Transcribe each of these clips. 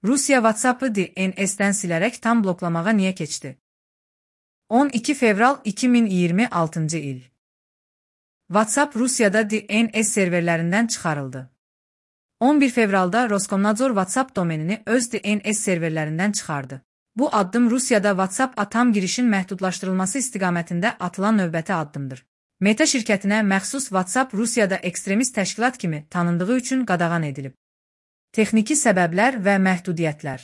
Rusiya WhatsApp-ı DNS-dən silərək tam bloklamağa niyə keçdi? 12 fevral 2026 il. WhatsApp Rusiyada DNS serverlərindən çıxarıldı. 11 fevralda Roskomnadzor WhatsApp domenini öz DNS serverlərindən çıxardı. Bu addım Rusiyada WhatsApp-a tam girişin məhdudlaşdırılması istiqamətində atılan növbəti addımdır. Meta şirkətinə məxsus WhatsApp Rusiyada ekstremist təşkilat kimi tanındığı üçün qadağan edilib. Texniki səbəblər və məhdudiyyətlər.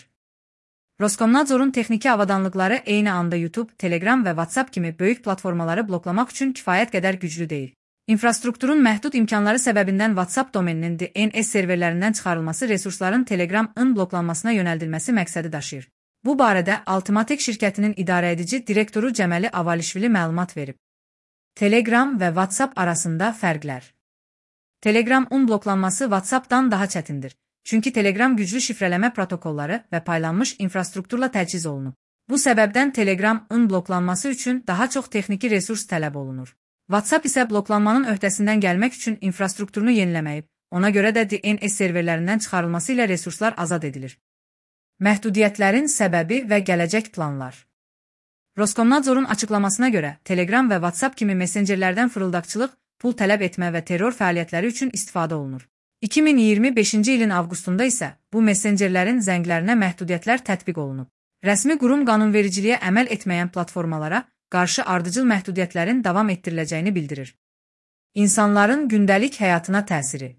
Roskomnadzorun texniki avadanlıqları eyni anda YouTube, Telegram və WhatsApp kimi böyük platformaları bloklamaq üçün kifayət qədər güclü deyil. İnfrastrukturun məhdud imkanları səbəbindən WhatsApp domeninin DNS serverlərindən çıxarılması resursların Telegram-ın bloklanmasına yönəldilməsi məqsədi daşıyır. Bu barədə Altımatek şirkətinin idarəedici direktoru Cəməli Avalişvili məlumat verib. Telegram və WhatsApp arasında fərqlər. Telegram-ın bloklanması WhatsApp-dan daha çətindir. Çünki Telegram güclü şifrələmə protokolları və paylanmış infrastrukturla təchiz olunub. Bu səbəbdən Telegram-ın bloklanması üçün daha çox texniki resurs tələb olunur. WhatsApp isə bloklanmanın öhdəsindən gəlmək üçün infrastrukturunu yeniləməyib, ona görə də DNS serverlərindən çıxarılması ilə resurslar azad edilir. Məhdudiyyətlərin səbəbi və gələcək planlar. Roskomnadzorun açıqlamasına görə Telegram və WhatsApp kimi messengerlərdən fırıldaqçılıq, pul tələb etmə və terror fəaliyyətləri üçün istifadə olunur. 2025-ci ilin avqustunda isə bu messengerlərin zənglərinə məhdudiyyətlər tətbiq olunub. Rəsmi qurum qanunvericiliyə əməl etməyən platformalara qarşı ardıcıl məhdudiyyətlərin davam etdiriləcəyini bildirir. İnsanların gündəlik həyatına təsiri.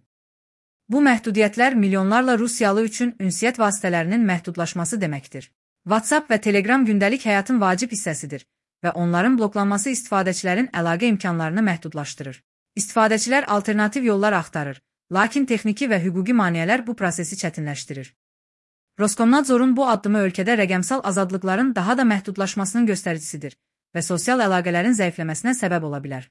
Bu məhdudiyyətlər milyonlarla Rusiyalı üçün ünsiyyət vasitələrinin məhdudlaşması deməkdir. WhatsApp və Telegram gündəlik həyatın vacib hissəsidir və onların bloklanması istifadəçilərin əlaqə imkanlarını məhdudlaşdırır. İstifadəçilər alternativ yollar axtarır, lakin texniki və hüquqi maneələr bu prosesi çətinləşdirir. Roskomnadzorun bu addımı ölkədə rəqəmsal azadlıqların daha da məhdudlaşmasının göstəricisidir və sosial əlaqələrin zəifləməsinə səbəb ola bilər.